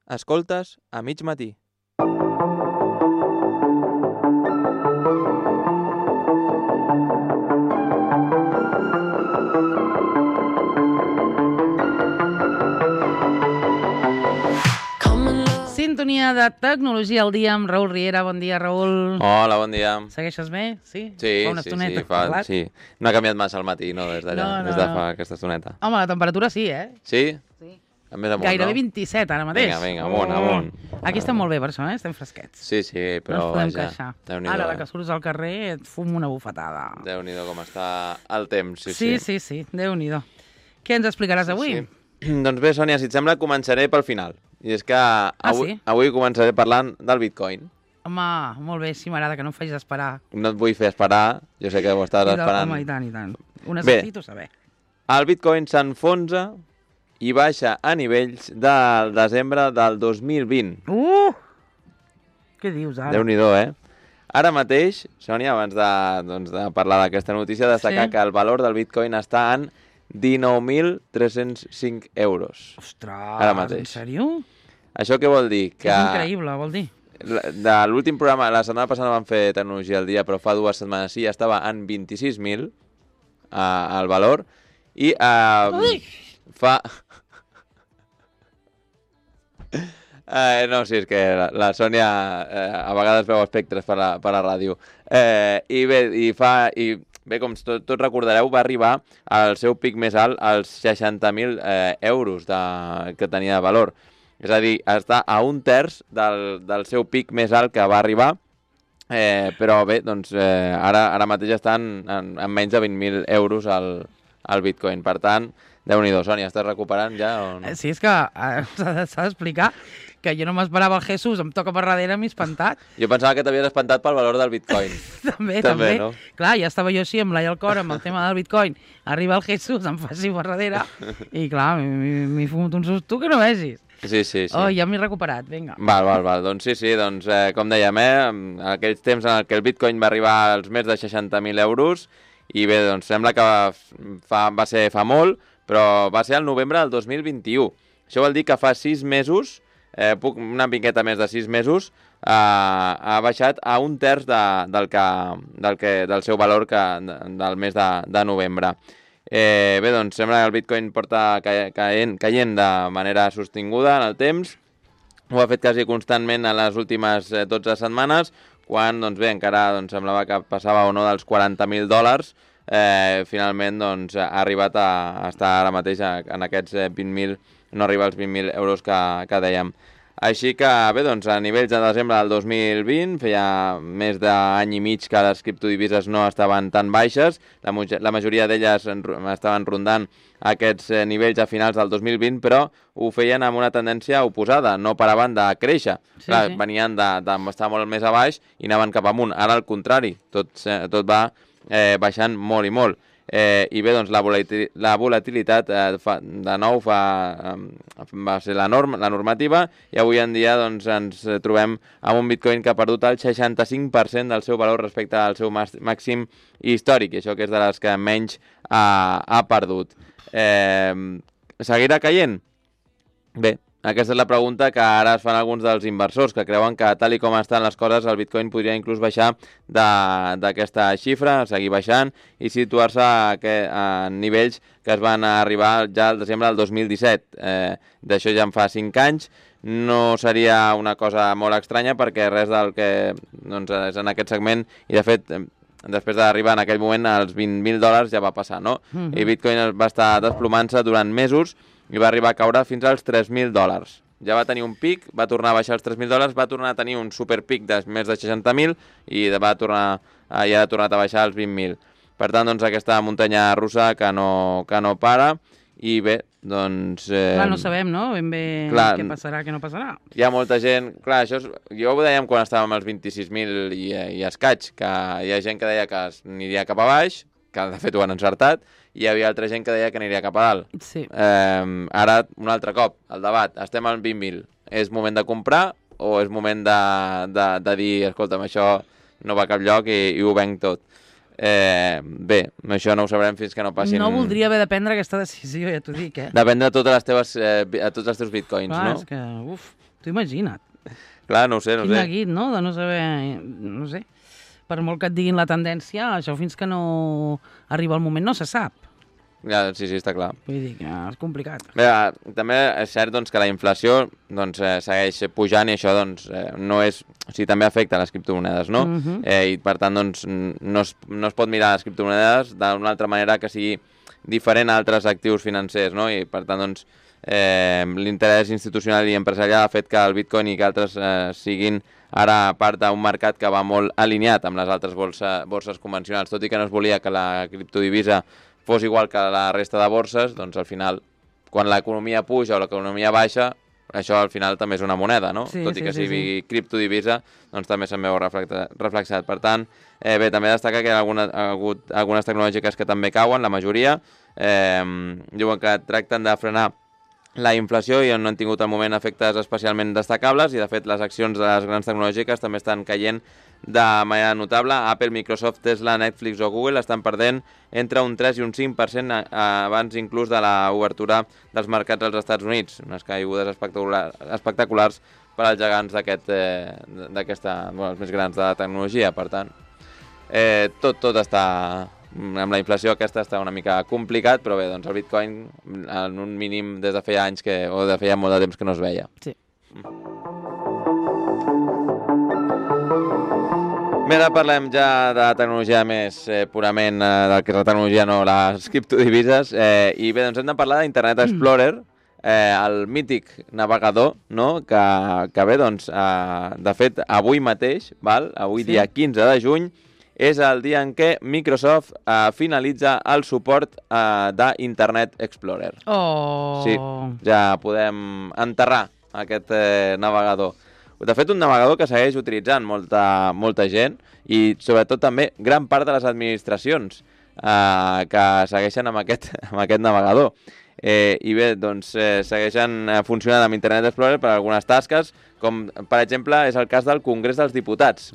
Escoltes a mig matí. Sintonia de tecnologia al dia amb Raül Riera. Bon dia, Raül. Hola, bon dia. Segueixes bé? Sí? Sí, Fa una estoneta que hem parlat. sí. No ha canviat massa al matí, no? Des d'allà, des de fa aquesta estoneta. Home, la temperatura sí, eh? Sí? Sí. Més amunt, Gairebé no? 27 ara mateix. Vinga, amunt. Aquí estem molt bé per això, eh? Estem fresquets. Sí, però no ens podem vaja, queixar. Déu-n'hi-do. Ara, la que surts al carrer, et fum una bufetada. Déu-n'hi-do com està el temps, Sí, Déu-n'hi-do. Què ens explicaràs avui? Doncs bé, Sònia, si et sembla, començaré pel final. I és que avui començaré parlant del Bitcoin. Home, molt bé, sí, m'agrada que no em facis esperar. No et vull fer esperar, jo sé que ho estàs esperant. Home, i tant. Ho necessito saber. El Bitcoin s'enfonsa i baixa a nivells del desembre del 2020. Què dius ara? Déu-n'hi-do, eh? Ara mateix, Sònia, abans de parlar d'aquesta notícia, destacar que el valor del Bitcoin està en 19.305 euros. Ostres, ara mateix. En sèrio? Això què vol dir? Que és increïble, vol dir. De l'últim programa, la setmana passada vam fer Tecnologia al dia, però fa 2 setmanes sí, estava en 26.000 el valor, i fa... no, sí, és que la Sònia a vegades veu espectres per la ràdio. I bé, com tots recordareu, va arribar al seu pic més alt als 60.000 euros que tenia de valor. És a dir, està a un terç del seu pic més alt que va arribar, però bé, doncs ara mateix estan en menys de 20.000 euros al Bitcoin. Per tant, Déu-n'hi-do, Sònia, estàs recuperant ja o no? Sí, és que s'ha d'explicar que jo no m'esperava el Jesús, em toca per darrere, m'he espantat. Jo pensava que t'havies espantat pel valor del Bitcoin. També. No? Clar, ja estava jo així amb l'ai al cor amb el tema del Bitcoin. Arriba el Jesús, em fa així per darrere i clar, m'he fumut un susto que no vegis. Sí. Oh, ja m'he recuperat, vinga. Val. Doncs sí, doncs com dèiem, en aquells temps en què el Bitcoin va arribar als més de 60.000 euros, i bé, doncs sembla que va ser fa molt, però va ser al novembre del 2021. Això vol dir que fa 6 mesos, una miqueta més de 6 mesos, ha baixat a un terç del seu valor del mes de novembre. Bé, doncs sembla que el Bitcoin porta caient de manera sostinguda en el temps. Ho ha fet quasi constantment en les últimes 12 setmanes, quan doncs bé, encara semblava que passava o no dels $40.000. Finalment doncs, ha arribat a estar ara mateix en aquests 20.000, no arriba als 20.000 euros que dèiem. Així que bé, doncs a nivells de desembre del 2020 feia més d'any i mig que les criptodivises no estaven tan baixes, la majoria d'elles estaven rondant aquests nivells a finals del 2020, però ho feien amb una tendència oposada, no paraven de créixer. Clar, venien d'estar molt més a baix i anaven cap amunt. Ara al contrari, tot va baixant molt i molt. I bé, doncs la volatilitat de nou va ser la normativa, i avui en dia doncs, ens trobem amb un Bitcoin que ha perdut el 65% del seu valor respecte al seu màxim històric, i això que és de les que menys ha perdut. Seguirà caient? Bé, aquesta és la pregunta que ara es fan alguns dels inversors, que creuen que tal i com estan les coses el Bitcoin podria inclús baixar d'aquesta xifra, seguir baixant i situar-se a nivells que es van arribar ja al desembre del 2017. D'això ja en fa 5 anys. No seria una cosa molt estranya, perquè res del que és en aquest segment, i de fet després d'arribar en aquell moment als $20.000 ja va passar, no? I Bitcoin va estar desplomant-se durant mesos i va arribar a caure fins als $3.000. Ja va tenir un pic, va tornar a baixar als $3.000, va tornar a tenir un superpic de més de 60.000 i ja ha tornat a baixar als 20.000. Per tant, doncs, aquesta muntanya russa que no para, i bé, doncs... Clar, no sabem, no? Ben bé què passarà, què no passarà. Hi ha molta gent... Clar, jo ho dèiem quan estàvem als 26.000 i escaig, que hi ha gent que deia que aniria cap a baix, que de fet ho han encertat, i hi havia altra gent que deia que aniria cap a dalt. Sí. Ara, un altre cop, el debat. Estem al 20.000. És moment de comprar o és moment de dir, escolta'm, això no va a cap lloc i ho venc tot? Bé, això no ho sabrem fins que no passin... No voldria haver de prendre aquesta decisió, ja t'ho dic, Depèn de tots els teus bitcoins, clar, no? És que, Tu imagina't. Clar, no ho sé, no Quin sé. neguit, no?, de no saber... No sé. Per molt que et diguin la tendència, això fins que no arriba el moment no se sap. Ja, sí, està clar. Vull dir que és complicat. Bé, també és cert doncs, que la inflació doncs, segueix pujant i això doncs, no és... O sigui, també afecta les criptomonedes, no? I per tant, doncs, no es pot mirar les criptomonedes d'una altra manera que sigui diferent a altres actius financers, no? I per tant, doncs, l'interès institucional i empresarial ha fet que el Bitcoin i que altres siguin ara part d'un mercat que va molt alineat amb les altres borses convencionals. Tot i que no es volia que la criptodivisa fos igual que la resta de borses, doncs al final, quan l'economia puja o l'economia baixa, això al final també és una moneda, no? Sí, Tot i que sí, sigui criptodivisa, doncs també se'n veu reflexat. Per tant, bé, també destaca que hi ha hagut algunes tecnològiques que també cauen, la majoria. Diuen que tracten de frenar la inflació i no han tingut al moment efectes especialment destacables i, de fet, les accions de les grans tecnològiques també estan caient de manera notable. Apple, Microsoft, Tesla, Netflix o Google estan perdent entre un 3 i un 5% abans inclús de l'obertura dels mercats als Estats Units. Unes caigudes espectaculars per als gegants d'aquesta, els més grans de la tecnologia. Per tant, tot està... Amb la inflació aquesta està una mica complicat, però bé, doncs el Bitcoin en un mínim des de feia anys o de feia molt de temps que no es veia. Sí. Bé, ara parlem ja de tecnologia més purament del que és la tecnologia, no les criptodivises. I bé, doncs hem de parlar d'Internet Explorer, el mític navegador, no? Que bé, doncs, de fet, avui mateix, avui dia 15 de juny, és el dia en què Microsoft finalitza el suport d'Internet Explorer. Oh! Sí, ja podem enterrar aquest navegador. De fet, un navegador que segueix utilitzant molta gent i, sobretot, també gran part de les administracions que segueixen amb aquest navegador. I bé, doncs, segueixen funcionant amb Internet Explorer per a algunes tasques, com, per exemple, és el cas del Congrés dels Diputats.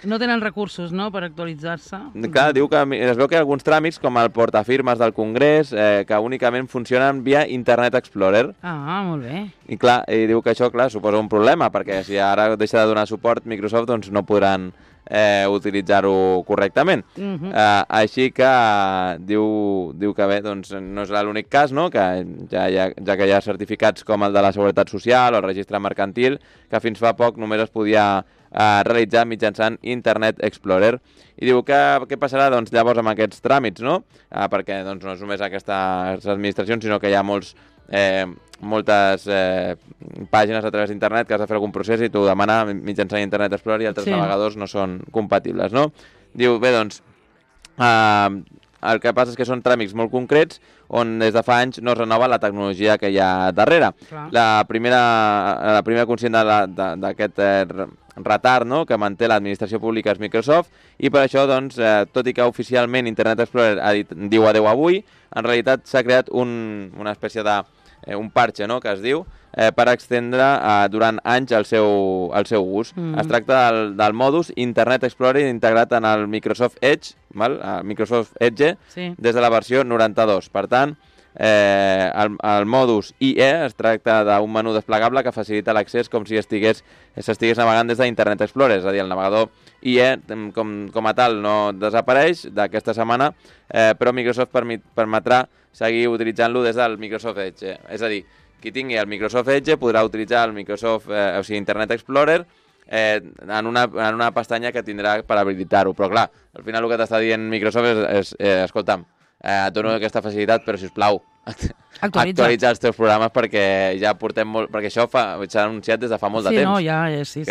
No tenen recursos, no?, per actualitzar-se. Clar, diu que es veu que hi ha alguns tràmits, com el portafirmes del Congrés, que únicament funcionen via Internet Explorer. Ah, molt bé. I clar, diu que això, clar, suposa un problema, perquè si ara deixa de donar suport Microsoft, doncs no podran utilitzar-ho correctament. Així que diu que bé, doncs no és l'únic cas, no?, que ja que hi ha certificats com el de la Seguretat Social o el Registre Mercantil, que fins fa poc només es podia realitzar mitjançant Internet Explorer. I diu que què passarà doncs, llavors amb aquests tràmits, no? Perquè doncs, no és només aquestes administracions, sinó que hi ha moltes pàgines a través d'internet que has de fer algun procés i t'ho demana mitjançant Internet Explorer i altres navegadors no són compatibles, no? Diu, bé, doncs, el que passa és que són tràmits molt concrets on des de fa anys no es renova la tecnologia que hi ha darrere. La primera conscient d'aquest retard, no?, que manté l'administració pública és Microsoft, i per això, doncs, tot i que oficialment Internet Explorer diu adeu avui, en realitat s'ha creat una espècie un parche, no?, que es diu, per extendre durant anys el seu ús. Es tracta del modus Internet Explorer integrat en el Microsoft Edge, Microsoft Edge, des de la versió 92. Per tant, el modus IE es tracta d'un menú desplegable que facilita l'accés com si s'estigués navegant des d'Internet Explorer, és a dir, el navegador IE com a tal no desapareix d'aquesta setmana, però Microsoft permetrà seguir utilitzant-lo des del Microsoft Edge. És a dir, qui tingui el Microsoft Edge podrà utilitzar el Internet Explorer en una pestanya que tindrà per habilitar-ho. Però clar, al final el que t'està dient Microsoft és escolta'm, et dono aquesta facilitat, però sisplau, actualitza els teus programes perquè ja portem molt... Perquè això s'ha anunciat des de fa molt de temps.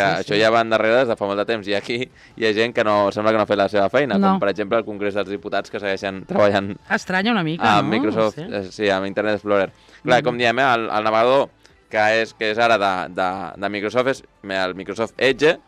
Això ja va endarrere des de fa molt de temps. I aquí hi ha gent que sembla que no ha fet la seva feina, com per exemple el Congrés dels Diputats, que segueixen treballant... Estranya una mica, amb Microsoft, sí, amb Internet Explorer. Clar, com diem, el navegador que és ara de Microsoft és el Microsoft Edge,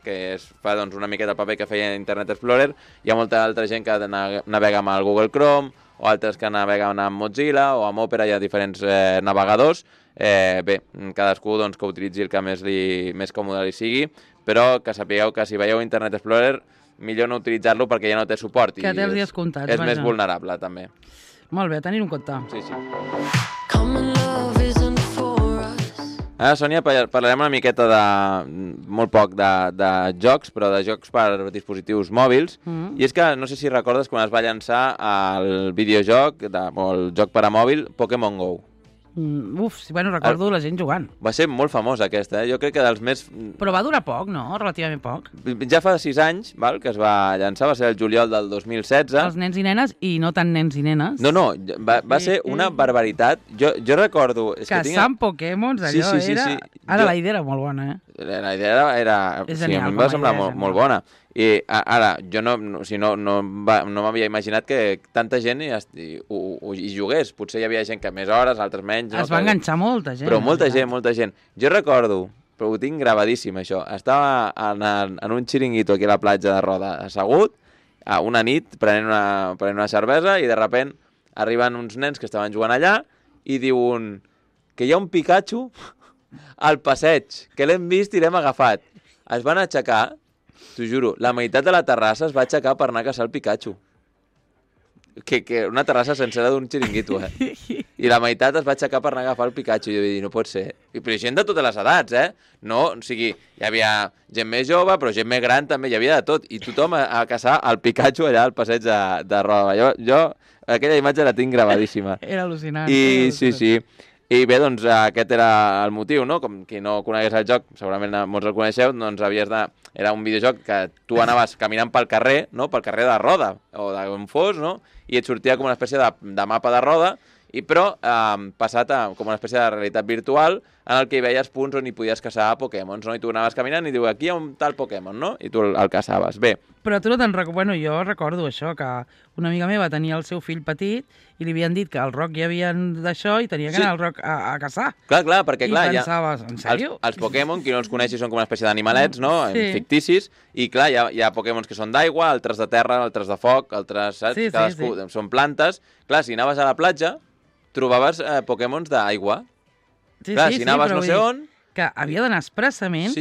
que fa una miqueta el paper que feia Internet Explorer. Hi ha molta altra gent que navega amb el Google Chrome, o altres que naveguen amb Mozilla o amb Opera, hi ha diferents navegadors. Bé, cadascú que utilitzi el que més còmode li sigui, però que sapigueu que si veieu Internet Explorer, millor no utilitzar-lo perquè ja no té suport. Que té els dies comptats. És més vulnerable, també. Molt bé, tenir-ho en compte. Sí. Ara, Sònia, parlarem una miqueta molt poc de jocs, però de jocs per dispositius mòbils. I és que, no sé si recordes quan es va llançar el videojoc, o el joc per a mòbil, Pokémon GO. Bueno, recordo la gent jugant. Va ser molt famós aquesta, Jo crec que dels més... Però va durar poc, no? Relativament poc. Ja fa 6 anys, que es va llançar, va ser el juliol del 2016. Els nens i nenes, i no tan nens i nenes. No, va ser una barbaritat. Jo recordo... Caçant Pokémons, allò era... Ara la idea era molt bona, La idea era... És genial, a mi em va semblar molt bona. I ara, jo no m'havia imaginat que tanta gent hi jugués. Potser hi havia gent que més hores, altres menys. Es va enganxar molta gent. Però molta gent. Jo recordo, però ho tinc gravadíssim, això. Estava en un xiringuito aquí a la platja de Roda, assegut, a una nit, prenent una cervesa, i de sobte arriben uns nens que estaven jugant allà i diuen que hi ha un Pikachu al passeig, que l'hem vist i l'hem agafat. Es van aixecar, t'ho juro, la meitat de la terrassa es va aixecar per anar a caçar el Pikachu. Que una terrassa sencera d'un xiringuito, I la meitat es va aixecar per anar a agafar el Pikachu. I jo vaig dir, no pot ser. Però gent de totes les edats, No, o sigui, hi havia gent més jove, però gent més gran també, hi havia de tot. I tothom a caçar el Pikachu allà al passeig de Roda. Jo aquella imatge la tinc gravadíssima. Era al·lucinant. Sí. I bé, doncs aquest era el motiu, no? Com qui no conegués el joc, segurament molts el coneixeu, doncs era un videojoc que tu anaves caminant pel carrer, no? Pel carrer de Roda, o d'on fos, no? I et sortia com una espècie de mapa de Roda, però passat com una espècie de realitat virtual en el que hi veies punts on hi podies caçar Pokémons, no? I tu anaves caminant i diu, aquí hi ha un tal Pokémon, no? I tu el caçaves. Bé. Però tu no te'n recordes... Bueno, jo recordo això, que una amiga meva tenia el seu fill petit i li havien dit que al Roc hi havia d'això i tenia que anar al Roc a caçar. Clar, perquè clar... I pensaves, en sèrio? Els Pokémon, qui no els coneixi, són com una espècie d'animalets, no? Ficticis, i clar, hi ha Pokémons que són d'aigua, altres de terra, altres de foc, altres, saps? Cadascú són plantes. Clar, si anaves a la platja, trobaves Pokémons d'aigua. Clar, si anaves no sé on... Que havia d'anar expressament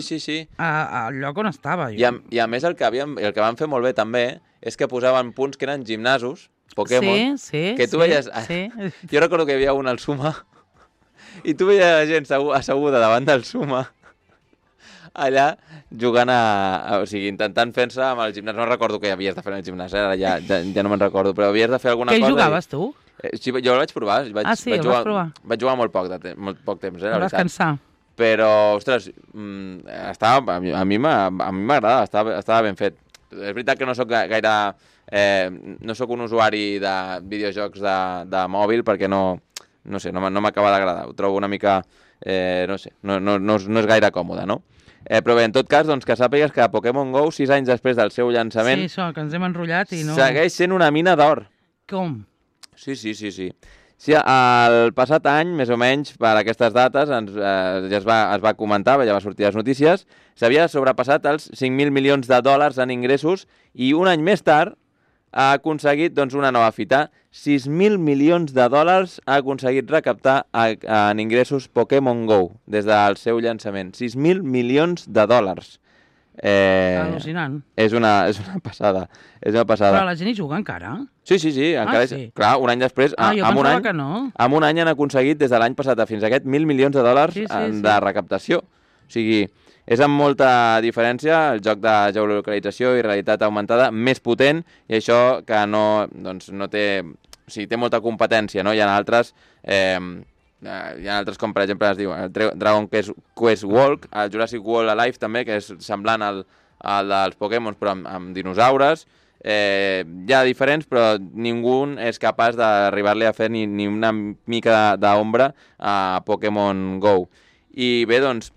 al lloc on estava. I a més el que van fer molt bé també és que posaven punts que eren gimnasos, Pokémon, que tu veies... Jo recordo que hi havia un al Suma i tu veies la gent asseguda davant del Suma allà jugant o sigui, intentant fer-se amb el gimnàs. No recordo què havies de fer en el gimnàs, ara ja no me'n recordo, però havies de fer alguna cosa. Què jugaves tu? Sí, jo el vaig provar. El vas provar? Vaig jugar molt poc temps, la veritat. Vas cansar. Però, ostres, a mi m'agradava, estava ben fet. És veritat que no soc gaire... no soc un usuari de videojocs de mòbil perquè no m'acaba d'agradar. Ho trobo una mica... no sé, no és gaire còmode, no? Però bé, en tot cas, doncs, que sàpigues que Pokémon GO, 6 anys després del seu llançament... Sí, això, que ens hem enrotllat i no... Segueix sent una mina d'or. Com? Sí. Sí, el passat any, més o menys, per aquestes dates, ja es va comentar, ja va sortir a les notícies, s'havia sobrepassat els 5.000 milions de dòlars en ingressos i un any més tard ha aconseguit una nova fita. 6.000 milions de dòlars ha aconseguit recaptar en ingressos Pokémon GO des del seu llançament. 6.000 milions de dòlars. Al·lucinant. És una passada. Però la gent hi juga encara? Sí. Encara clar, un any després... Jo pensava que no. En un any han aconseguit, des de l'any passat fins a aquest, 1.000 milions de dòlars de recaptació. O sigui, és amb molta diferència el joc de geolocalització i realitat augmentada més potent, i això que no té... O sigui, té molta competència, no? Hi ha altres... com per exemple es diu Dragon Quest Walk, el Jurassic World Alive també, que és semblant al dels Pokémon però amb dinosaures. Hi ha diferents, però ningú és capaç d'arribar-li a fer ni una mica d'ombra a Pokémon GO. I bé, doncs,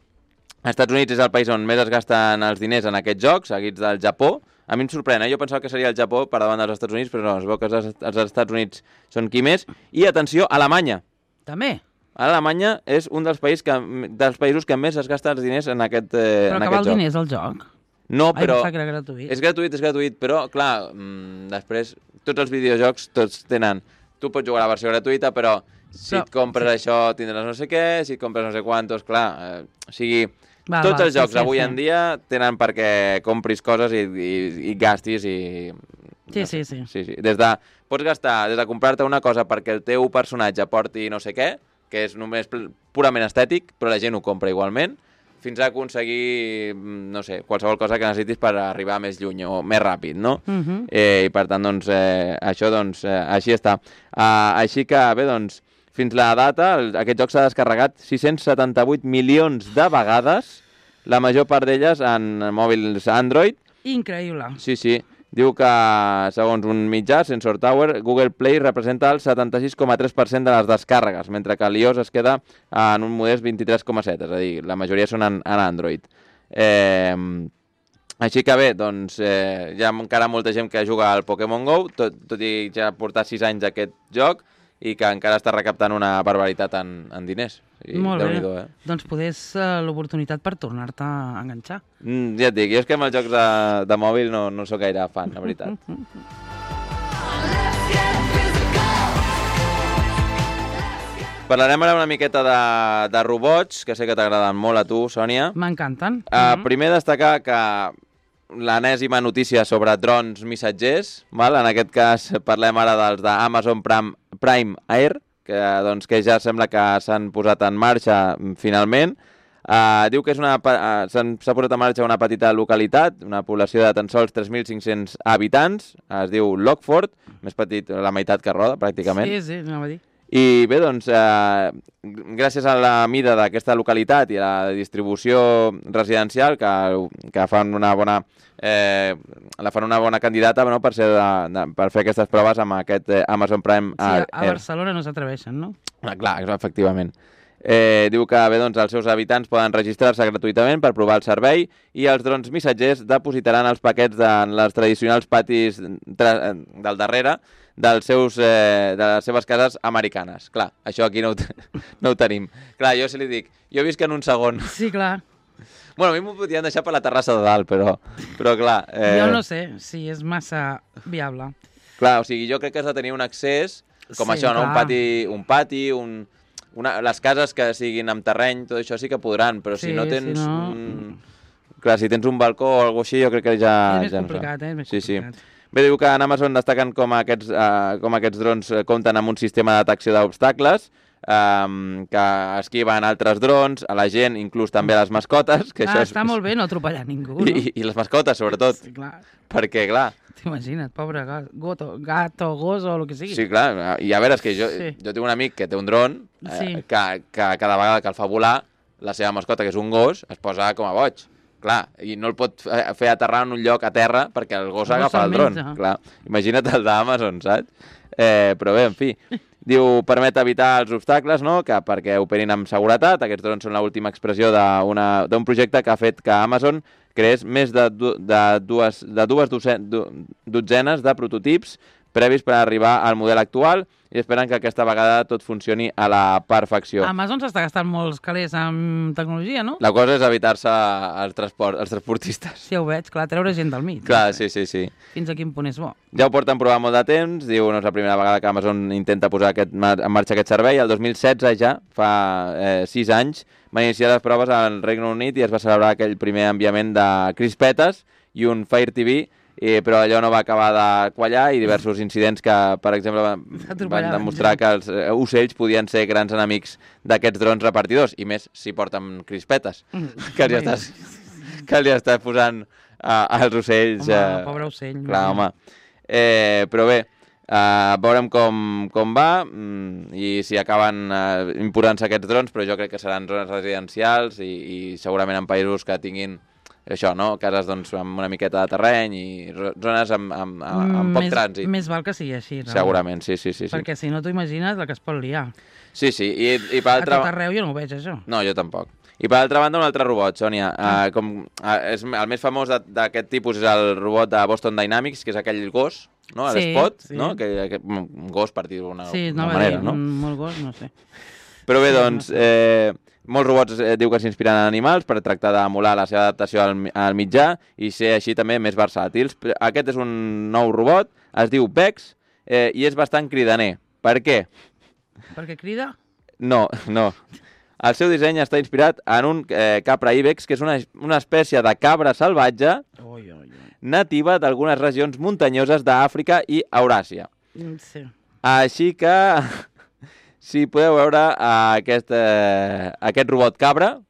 als Estats Units és el país on més es gasten els diners en aquests jocs, seguits del Japó. A mi em sorprèn, Jo pensava que seria el Japó per davant dels Estats Units, però no, es veu que els Estats Units són qui més. I, atenció, Alemanya. També? Alemanya és un dels països que més es gasta els diners en aquest joc. Però que val diners el joc? No, però... Ai, que era gratuït. És gratuït, però, clar, després, tots els videojocs, tots tenen... Tu pots jugar a la versió gratuïta, però si et compres això tindràs no sé què, si et compres no sé quantos, clar... O sigui, tots els jocs avui en dia tenen perquè compris coses i gastis i... Sí. Pots gastar des de comprar-te una cosa perquè el teu personatge porti no sé què, que és només purament estètic, però la gent ho compra igualment, fins a aconseguir, no sé, qualsevol cosa que necessitis per arribar més lluny o més ràpid, no? I per tant, doncs, això, doncs, així està. Així que, bé, doncs, fins la data, aquest joc s'ha descarregat 678 milions de vegades, la major part d'elles en mòbils Android. Increïble. Sí. Diu que, segons un mitjà, Sensor Tower, Google Play representa el 76,3% de les descàrregues, mentre que l'iOS es queda en un modest 23,7%, és a dir, la majoria són en Android. Així que bé, doncs hi ha encara molta gent que juga al Pokémon GO, tot i ja portar 6 anys aquest joc, i que encara està recaptant una barbaritat en diners. Molt bé. Doncs podés l'oportunitat per tornar-te a enganxar. Ja et dic, jo és que amb els jocs de mòbil no sóc gaire fan, la veritat. Parlarem ara una miqueta de robots, que sé que t'agraden molt a tu, Sònia. M'encanten. Primer destacar que l'enèsima notícia sobre drons missatgers, val? En aquest cas parlem ara dels d'Amazon Prime Air, que ja sembla que s'han posat en marxa finalment. Diu que s'ha posat en marxa una petita localitat, una població de tan sols 3.500 habitants, es diu Lockford, més petit, la meitat que Roda, pràcticament. Sí, anava a dir. I bé, doncs, gràcies a la mida d'aquesta localitat i a la distribució residencial que fan una bona candidata, no, per fer aquestes proves amb aquest Amazon Prime Air. Sí, a Barcelona no s'atreveixen, no? Clar, efectivament. Diu que bé, doncs, els seus habitants poden registrar-se gratuïtament per provar el servei i els drons missatgers depositaran els paquets en els tradicionals patis del darrere de les seves cases americanes. Clar, això aquí no ho tenim. Clar, jo si li dic, jo visc en un segon. Sí, clar. Bueno, a mi m'ho podien deixar per la terrassa de dalt, però clar... Jo no sé si és massa viable. Clar, o sigui, jo crec que has de tenir un accés com això, no? Un pati, les cases que siguin amb terreny, tot això sí que podran, però si no tens... Clar, si tens un balcó o alguna cosa així, jo crec que ja... És més complicat, és més complicat. Bé, diu que en Amazon destaquen com aquests drons compten amb un sistema de detecció d'obstacles, que esquiven altres drons, a la gent, inclús també a les mascotes. Que això està molt bé no atropellar ningú, no? I les mascotes, sobretot. Sí, clar. Perquè, clar... T'imagina't, pobre gato, gos o el que sigui. Sí, clar. I a veure, és que jo tinc un amic que té un dron que cada vegada que el fa volar, la seva mascota, que és un gos, es posa com a boig. Clar, i no el pot fer aterrar en un lloc a terra perquè el gos agafa el dron. Clar, imagina't el d'Amazon, saps? Però bé, en fi, diu, permet evitar els obstacles, no?, perquè operin amb seguretat. Aquests drons són l'última expressió d'un projecte que ha fet que Amazon creés més de dues dotzenes de prototips previs per arribar al model actual i esperen que aquesta vegada tot funcioni a la perfecció. Amazon s'està gastant molts calés en tecnologia, no? La cosa és evitar-se els transportistes. Sí, ho veig, clar, treure gent del mig. Clar, sí. Fins a quin punt és bo. Ja ho porten provant molt de temps, diu, no és la primera vegada que Amazon intenta posar en marxa aquest servei. El 2016 ja, fa 6 anys, van iniciar les proves al Regne Unit i es va celebrar aquell primer enviament de crispetes i un Fire TV, però allò no va acabar de quallar i diversos incidents que, per exemple, van demostrar que els ocells podien ser grans enemics d'aquests drons repartidors, i més si porten crispetes, que li estàs posant als ocells... Home, pobre ocell. Clar, home. Però bé, veurem com va i si acaben imposant-se aquests drons, però jo crec que seran zones residencials i segurament en països que tinguin això, no? Cases doncs, amb una miqueta de terreny i zones amb poc trànsit. Més val que sigui així, no? Segurament, sí. Perquè si no t'ho imagines la que es pot liar. Sí, i per altra... A tot arreu jo no ho veig, això. No, jo tampoc. I per altra banda, un altre robot, Sònia. El més famós d'aquest tipus és el robot de Boston Dynamics, que és aquell gos, no? L'Spot, no? Un gos, per dir-ho d'una manera, no? Molt gos, no sé. Però bé, doncs... Molts robots diu que s'inspiren en animals per tractar d'emular la seva adaptació al mitjà i ser així també més versàtils. Aquest és un nou robot, es diu Vex, i és bastant cridaner. Per què? Perquè crida? No. El seu disseny està inspirat en un capra ibex, que és una espècie de cabra salvatge nativa d'algunes regions muntanyoses d'Àfrica i Euràsia. Sí. Així que... si podeu veure aquest robot cabra,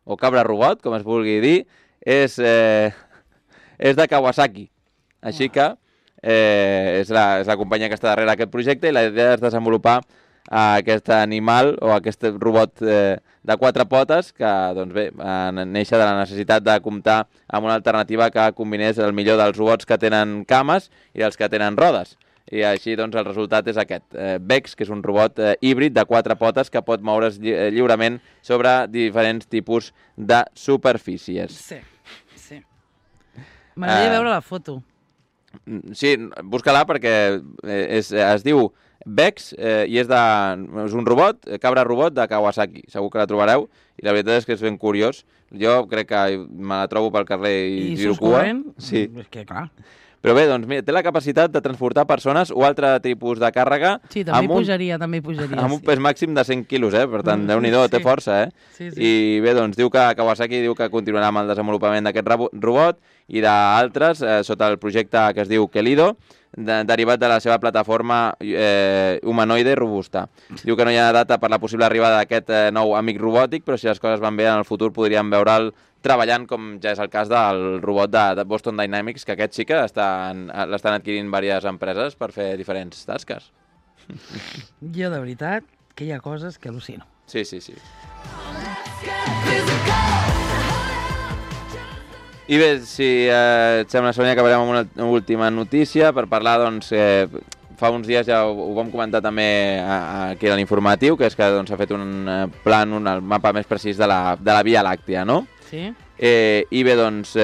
o cabra robot, com es vulgui dir, és de Kawasaki. Així que és la companyia que està darrere aquest projecte i la idea és desenvolupar aquest animal o aquest robot de 4 potes que doncs bé, neix de la necessitat de comptar amb una alternativa que combinés el millor dels robots que tenen cames i els que tenen rodes. I així doncs el resultat és aquest, Vex, que és un robot híbrid de 4 potes que pot moure's lliurement sobre diferents tipus de superfícies. Sí. M'agradaria veure la foto. Sí, busca-la perquè es diu Vex i és un robot, cabra robot de Kawasaki. Segur que la trobareu i la veritat és que és ben curiós. Jo crec que me la trobo pel carrer i giro cua. Sí. És que clar. Però bé, doncs mira, té la capacitat de transportar persones o altre tipus de càrrega sí, també pujaria, amb un pes màxim de 100 quilos, per tant, Déu-n'hi-do, té força, Sí. I bé, doncs diu que Kawasaki diu que continuarà amb el desenvolupament d'aquest robot i d'altres sota el projecte que es diu Kelido, derivat de la seva plataforma humanoide robusta. Diu que no hi ha data per la possible arribada d'aquest nou amic robòtic, però si les coses van bé en el futur podríem veure'l treballant, com ja és el cas del robot de Boston Dynamics, que aquest sí que l'estan adquirint diverses empreses per fer diferents tasques. Jo, de veritat, que hi ha coses que al·lucino. Sí. I bé, si et sembla, Sònia, acabarem amb una última notícia per parlar, doncs, fa uns dies ja ho vam comentar també aquí a l'informatiu, que és que s'ha fet un el mapa més precís de la Via Làctea, no? Sí. I bé, doncs,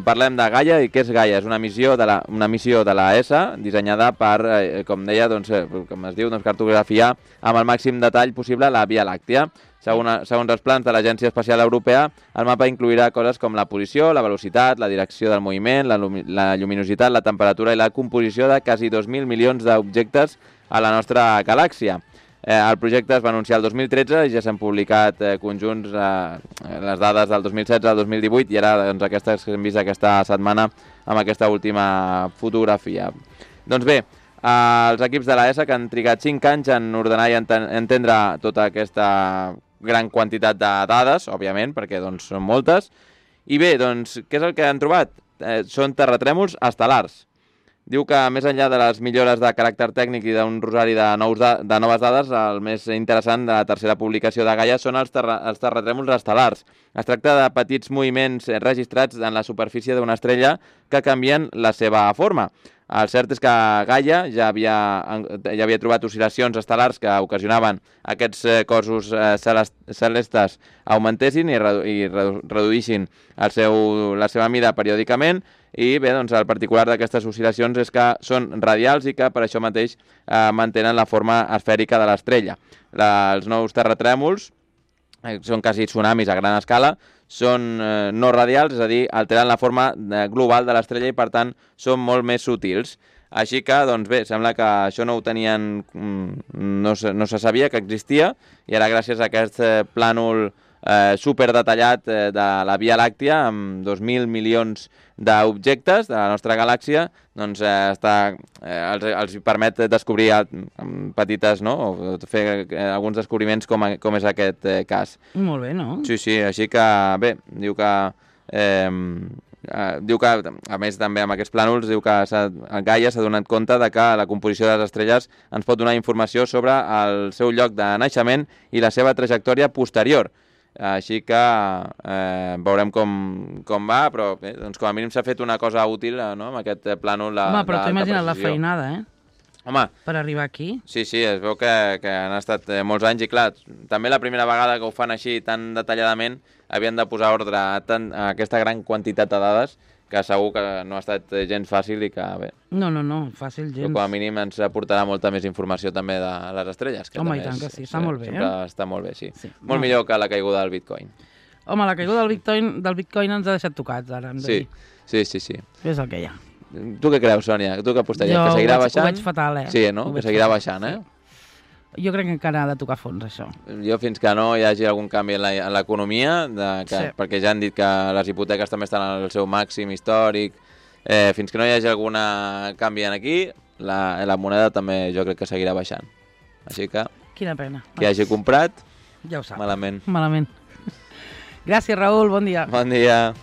parlem de Gaia. I què és Gaia? És una missió de la ESA dissenyada per, com deia, doncs, com es diu, doncs, cartografiar amb el màxim detall possible la Via Làctea. Segons els plans de l'Agència Espacial Europea, el mapa inclourà coses com la posició, la velocitat, la direcció del moviment, la lluminositat, la temperatura i la composició de quasi 2.000 milions d'objectes a la nostra galàxia. El projecte es va anunciar el 2013 i ja s'han publicat conjunts les dades del 2016 al 2018 i ara doncs, aquestes que hem vist aquesta setmana amb aquesta última fotografia. Doncs bé, els equips de l'ESA que han trigat 5 anys en ordenar i entendre tota aquesta gran quantitat de dades, òbviament, perquè doncs, són moltes. I bé, doncs, què és el que han trobat? Són terratrèmols estel·lars. Diu que, més enllà de les millores de caràcter tècnic i d'un rosari de noves dades, el més interessant de la tercera publicació de Gaia són els terratrèmols estel·lars. Es tracta de petits moviments registrats en la superfície d'una estrella que canvien la seva forma. El cert és que Gaia ja havia trobat oscil·lacions estel·lars que ocasionaven aquests cossos celestes augmentessin i reduïssin la seva mida periòdicament. I bé, doncs el particular d'aquestes oscil·lacions és que són radials i que per això mateix mantenen la forma esfèrica de l'estrella. Els nous terratrèmols són quasi tsunamis a gran escala, són no radials, és a dir, alteren la forma global de l'estrella i per tant són molt més sutils. Així que, doncs bé, sembla que això no ho tenien, no se sabia que existia i ara gràcies a aquest plànol superdetallat de la Via Làctea amb 2.000 milions d'objectes de la nostra galàxia, doncs els permet descobrir petites, no? O fer alguns descobriments com és aquest cas. Molt bé, no? Sí, així que bé, diu que a més també amb aquests plànols diu que Gaia s'ha donat compte de que la composició de les estrelles ens pot donar informació sobre el seu lloc de naixement i la seva trajectòria posterior. Així que veurem com va, però bé, doncs com a mínim s'ha fet una cosa útil, no?, amb aquest plànol de precisió. Home, però t'ho imagina't la feinada, Home, per arribar aquí. Sí, es veu que han estat molts anys i clar, també la primera vegada que ho fan així tan detalladament havien de posar ordre a aquesta gran quantitat de dades que segur que no ha estat gens fàcil i que bé. No, fàcil gens. Però com a mínim ens aportarà molta més informació també de les estrelles. Que home, i tant que sí, està molt bé. Sempre està molt bé, sí. Molt millor que la caiguda del Bitcoin. Home, la caiguda del Bitcoin ens ha deixat tocats, ara, hem de dir. Sí. És el que hi ha. Tu què creus, Sònia? Tu què apostaries? Que seguirà baixant? Jo ho veig fatal, Sí, no? Que seguirà baixant, Jo crec que encara ha de tocar fons, això. Jo fins que no hi hagi algun canvi en l'economia, perquè ja han dit que les hipoteques també estan al seu màxim històric, fins que no hi hagi algun canvi aquí, la moneda també jo crec que seguirà baixant. Així que... Quina pena. Qui hagi comprat, Ja ho sap. malament. Malament. Gràcies, Raül, bon dia. Bon dia.